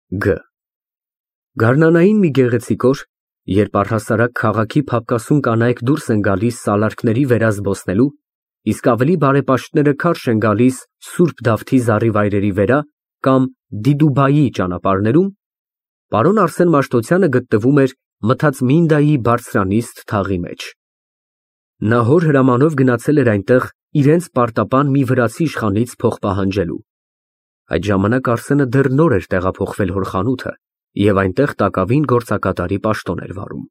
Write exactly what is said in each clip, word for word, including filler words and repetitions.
Գ Գարնանային մի գեղեցիկ օր, երբ առհասարակ քաղաքի փափկասուն կանայք դուրս են գալիս սալարկների վերա զբոսնելու, իսկ ավելի բարեպաշտները քարշ են գալիս Սուրբ Դավթի զառիվայրերի վրա կամ Դիդուբայի ճանապարհներում, պարոն Արսեն Մաշտոցյանը գտնվում էր Մթացմինդայի բարձրանիստ թաղի մեջ։ Նա հոր հրամանով գնացել էր այնտեղ իրենց պարտապան մի վրացի իշխանից փող պահանջելու։ Այդ ժամանակ Արսենը դեռ նոր էր տեղափոխվել հոր խանութը և այնտեղ տակավին գործակատարի պաշտոն էր վարում։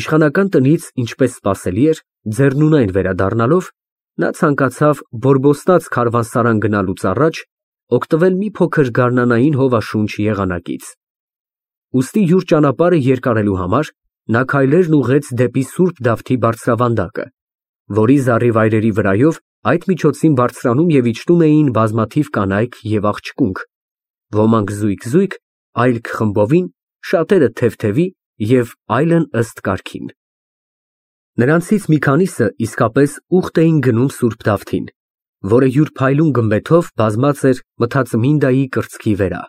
Իշխանական տնից, ինչպես սպասելի էր, ձեռնունայն վերադառնալով, նա ցանկացավ բորբոստած քարավանսարան գնալուց առաջ օգտվել մի փոքր գարնանային հովաշունչ եղանակից։ Ուստի յուր ճանապարհը երկարելու համար նա քայլերն ուղղեց դեպի Սուրբ Դավթի բարձրավանդակը, որի զառիվայրերի վրայով այդ միջոցին բարձրանում և իջնում էին բազմաթիվ կանայք և աղջկունք, ոմանք զույգ֊զույգ, այլք խմբովին, շատերը թև֊թևի և այլն ըստ կարգին։ Նրանցից մի քանիսը իսկապես ուխտ էին գնում Սուրբ Դավթին, որը յուր փայլուն գմբեթով բազմած էր Մթացմինդայի կրծքի վրա։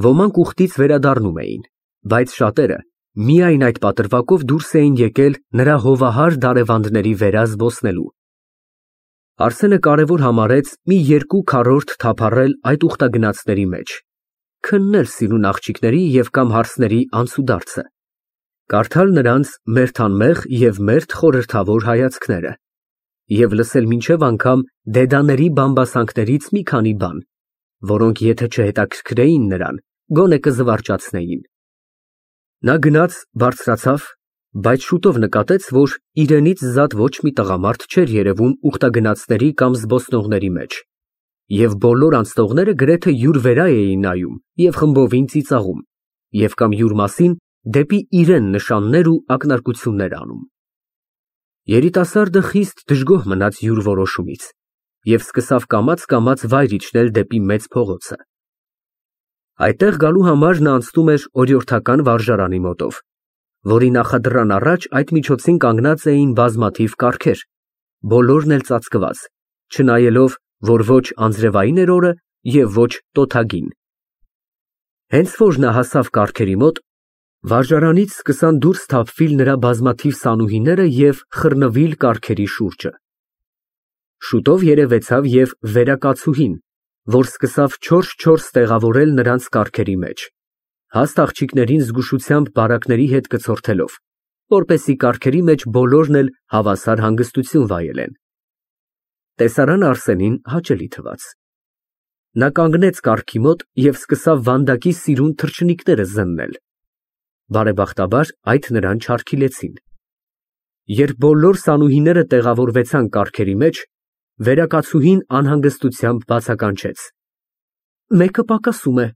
Ոմանք ուխտից վերադառնում էին, բայց շատերը միայն այդ պատրվակով դուրս էին եկել նրա հովահար դարևանդների վրա զբոսնելու։ Արսենը կարևոր համարեց մի երկու քառորդ թափառել այդ ուխտագնացների մեջ, քննել սիրուն աղջիկների և կամ հարսների անցուդարձը, կարդալ նրանց մերթ անմեղ և մերթ խորհրդավոր հայացքները և լսել մինչև անգամ դեդաների բամբասանքներից մի քանի բան, որոնք եթե չհետաքրքրեին նրան, գոնե կզվարճացնեին։ Նա գնաց, բարձրացավ, բայց շուտով նկատեց, որ իրենից զատ ոչ մի տղամարդ չէր երևում ուխտագնացների կամ զբոսնողների մեջ, և բոլոր անցնողները գրեթե յուր վրա էին նայում և խմբովին ծիծաղում, և կամ յուր մասին դեպի իրեն նշաններ ու ակնարկություններ անում։ Երիտասարդը խիստ դժգոհ մնաց յուր որոշումից և սկսավ կամաց֊կամաց վայր իջնել դեպի մեծ փողոցը։ Այդտեղ գալու համար նա անցնում էր օրիորդական վարժարանի մոտով, որի նախադրան առաջ այդ միջոցին կանգնած էին բազմաթիվ կառքեր, բոլորն էլ ծածկված, չնայելով, որ ոչ անձրևային էր օրը և ոչ տոթագին։ Հենց որ նա հասավ կառքերի մոտ, վարժարանից սկսան դուրս թափվել նրա բազմաթիվ սանուհիները և խռնվել կառքերի շուրջը։ Շուտով երևեցավ և վերակացուհին, որ սկսավ չորս֊չորս տեղավորել նրանց կառքերի մեջ, հաստ աղջիկներին զգուշությամբ բարակների հետ կցորդելով, որպեսզի կառքերի մեջ բոլորն էլ հավասար հանգստություն վայելեն։ Տեսարանը Արսենին հաճելի թվաց։ Նա կանգնեց կառքի մոտ և սկսավ վանդակի սիրուն թռչնիկները զննել։ Բարեբախտաբար այդ նրան չարգիլեցին։ Երբ բոլոր սանուհիները տեղավորվեցան կառքերի մեջ, վերակացուհին անհանգստությամբ բացականչեց. «Մեկը պակասում է»։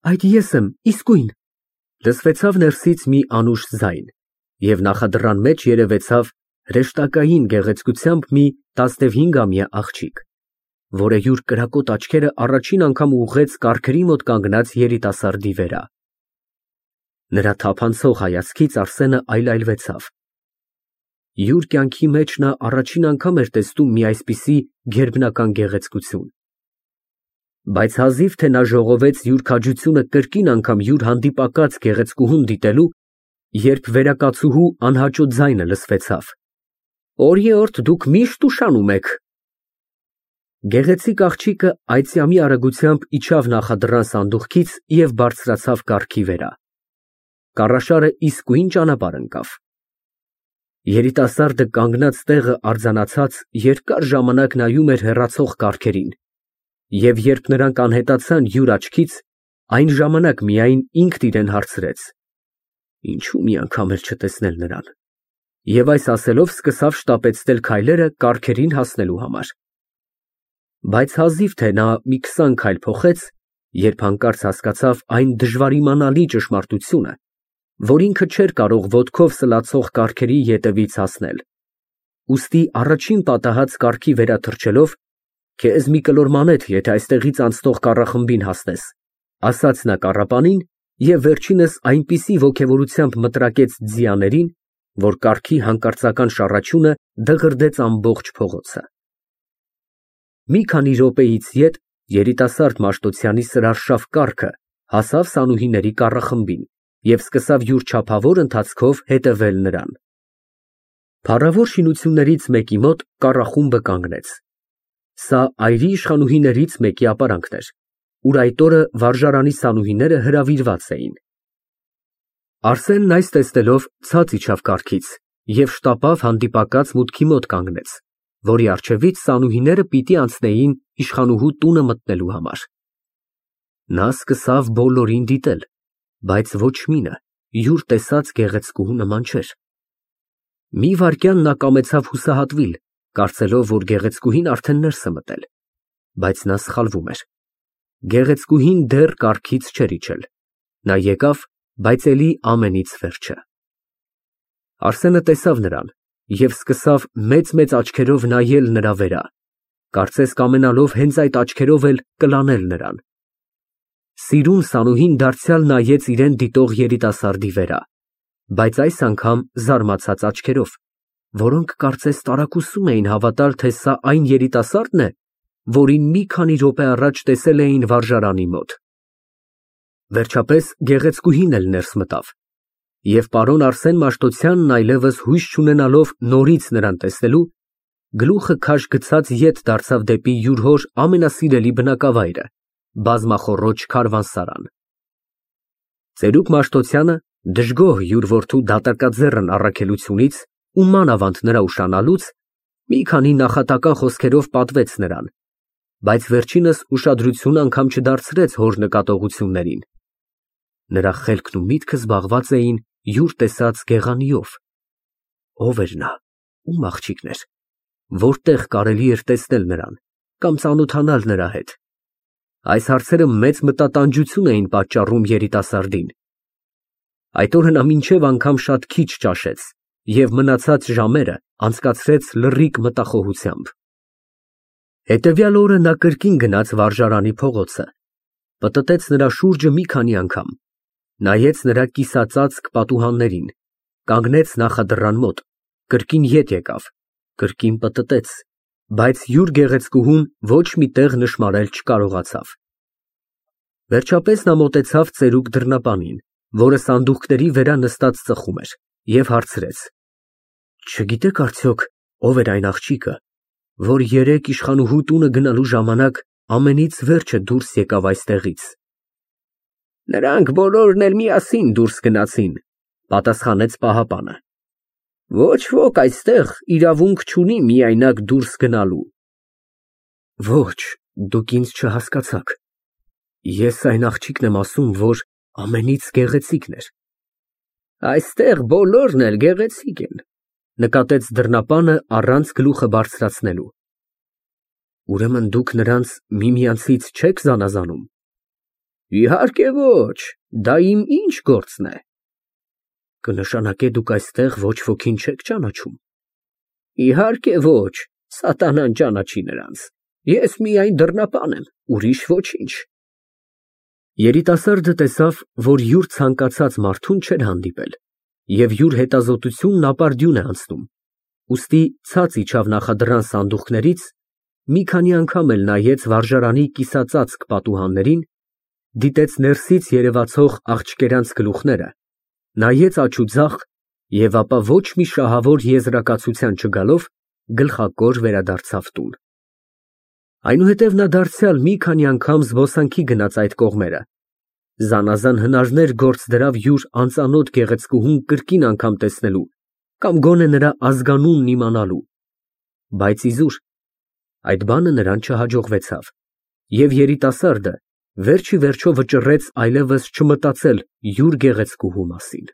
Այդ ես եմ, իսկույն, լսվեցավ ներսից մի անուշ ձայն, և նախադրան մեջ երևեցավ հրեշտակային գեղեցկությամբ մի տասնհինգամյա աղջիկ, որը յուր կրակոտ աչքերը առաջին անգամ ուղղեց կառքերի մոտ կանգնած երիտասարդի վրա։ Նրա թափանցող հայացքից Արսենը այլայլվեցավ։ Յուր կյանքի մեջ նա առաջին անգամ էր տեսնում մի այսպիսի գերբնական գեղեցկություն։ Բայց հազիվ թե նա ժողովեց յուր քաջությունը կրկին անգամ յուր հանդիպակաց գեղեցկուհուն դիտելու, երբ վերակացուհու անհաճո ձայնը լսվեցավ. «Օրիորդ դուք միշտ ուշանում եք»։ Գեղեցիկ աղջիկը այծյամի արագությամբ իջավ նախադրան սանդուղքից և բարձրացավ կառքի վրա։ Կառաշարը իսկույն ճանապարհ ընկավ։ Երիտասարդը կանգնած տեղը արձանացած երկար ժամանակ նայում էր հեռացող կառքերին, և երբ նրանք անհետացան յուր աչքից, այն ժամանակ միայն ինքն իրան հարցրեց. «Ինչու մի անգամ էլ չտեսնել նրան»։ Եվ այս ասելով սկսավ շտապեցնել քայլերը կառքերին հասնելու համար։ Բայց հազիվ թե նա մի քսան քայլ փոխեց, երբ հանկարծ հասկացավ այն դժվարիմանալի ճշմարտությունը, որ ինքը չէր կարող ոտքով սլացող կառքերի ետևից հասնել։ Ուստի առաջին պատահած կառքի վրա թռչելով, «Քեզ մի կլոր մանեթ, եթե այստեղից անցնող կառախմբին հասնես», ասաց նա կառապանին և վերջինս այնպիսի ոգևորությամբ մտրակեց ձիաներին, որ կառքի հանկարծական շառաչյունը դղրդեց ամբողջ փողոցը։ Մի քանի րոպեից ետ Երիտասարդ Մաշտոցյանի սրարշավ կառքը հասավ Սանուհիների կառախմբին և սկսավ յուր չափավոր ընթացքով հետևել նրան։ Փառավոր շինություններից մեկի մոտ կառախումբը կանգնեց։ Սա այրի իշխանուհիներից մեկի ապարանքն էր, ուր այդ օրը վարժարանի սանուհիները հրավիրված էին։ Արսենն այս տեսնելով ցած իջավ կառքից և շտապավ հանդիպակաց մուտքի մոտ կանգնեց, որի առջևից սանուհիները պիտի անցնեին իշխանուհու տունը մտնելու համար։ Նա սկսավ բոլորին դիտել, բայց ոչ մինը յուր տեսած գեղեցկուհու նման չէր։ Մի վայրկյան նա կամեցավ հուսահատվել, կարծելով, որ գեղեցկուհին արդեն ներս է մտել, բայց նա սխալվում էր։ Գեղեցկուհին դեռ կառքից չէր իջել։ Նա եկավ, բայց էլի ամենից վերջը։ Արսենը տեսավ նրան և սկսավ մեծ֊մեծ աչքերով նայել նրա վրա, կարծես կամենալով հենց այդ աչքերով էլ կլանել նրան։ Սիրուն Սանուհին դարձյալ նայեց իրան դիտող երիտասարդի վրա, բայց այս անգամ զարմացած աչքերով, որոնք կարծես տարակուսում էին հավատալ, թե սա այն երիտասարդն է, որին մի քանի րոպե առաջ տեսել էին վարժարանի մոտ։ Վերջապես գեղեցկուհին էլ ներս մտավ, և պարոն Արսեն Մաշտոցյանն այլևս հույս չունենալով նորից նրան տեսնելու, գլուխը քաշ գցած ետ դարձավ դեպի յուր հոր ամենասիրելի բնակավայրը՝ բազմախոռոչ քարավանսարան։ Ծերուկ Մաշտոցյանը, դժգոհ յուր որդու դատարկաձեռն առաքելությունից ու մանավանդ նրա ուշանալուց, մի քանի նախատական խոսքերով պատվեց նրան, բայց վերջինս ուշադրություն անգամ չդարձրեց հոր նկատողություններին։ Նրա խելքն ու միտքը զբաղված էին յուր տեսած գեղանիով։ Ո՞վ էր նա, ում աղջիկն էր, որտեղ կարելի էր տեսնել նրան կամ ծանոթանալ նրա հետ։ Այս հարցերը մեծ մտատանջություն էին պատճառում երիտասարդին։ Այդ օրը նա մինչև անգամ շատ քիչ ճաշեց և մնացած ժամերը անցկացրեց լռիկ մտախոհությամբ։ Հետևյալ օրը նա կրկին գնաց վարժարանի փողոցը, պտտեց նրա շուրջը մի քանի անգամ, նայեց նրա կիսածածկ պատուհաններին, կանգնեց նախադրան մոտ, կրկին ետ եկավ, կրկին պտտեց, բայց յուր գեղեցկուհուն ոչ մի տեղ նշմարել չկարողացավ։ Վերջապես նա մոտեցավ ծերուկ դռնապանին, որը սանդուղքների վրա նստած ծխում էր, և հարցրեց. Չգիտեք արդյոք ով էր այն աղջիկը, որ երեկ իշխանուհու տունը գնալու ժամանակ ամենից վերջը դուրս եկավ այստեղից։ Նրանք բոլորն էլ միասին դուրս գնացին, պատասխանեց պահապանը։ Ոչ ոք այստեղ իրավունք չունի միայնակ դուրս գնալու։ Ոչ, դուք ինձ չհասկացաք։ Ես այն աղջիկն եմ ասում, որ ամենից գեղեցիկն էր։ Այստեղ բոլորն էլ գեղեցիկ են, նկատեց դռնապանը առանց գլուխը բարձրացնելու։ Ուրեմն դուք նրանց միմյանցից չեք զանազանում։ Իհարկե ոչ, դա իմ ինչ գործն է։ Կնշանակե դուք այստեղ ոչ ոքին չեք ճանաչում։ Իհարկե ոչ, սատանան ճանաչի նրանց։ Ես միայն դռնապան եմ, ուրիշ ոչինչ։ Երիտասարդը տեսավ, որ յուր ցանկացած մարդուն չէր հանդիպել, և յուր հետազոտությունն ապարդյուն է անցնում, ուստի ցած իջավ նախադրան սանդուղքներից, մի քանի անգամ էլ նայեց վարժարանի կիսածածկ պատուհաններին, դիտեց ներսից երևացող աղջկերանց գլուխները, նայեց աջ ու ձախ և ապա ոչ մի շահավոր եզրակացության չգալով գլխակոր վերադարձավ տուն։ Այնուհետև նա դարձյալ մի քանի անգամ զբոսանքի գնաց այդ կողմերը, զանազան հնարներ գործ դրավ յուր անծանոթ գեղեցկուհուն կրկին անգամ տեսնելու կամ գոնե նրա ազգանունն իմանալու, բայց իզուր այդ բանը նրան չհաջողվեցավ, և երիտասարդը վերջ ի վերջո վճռեց այլևս չմտածել յուր գեղեցկուհու մասին։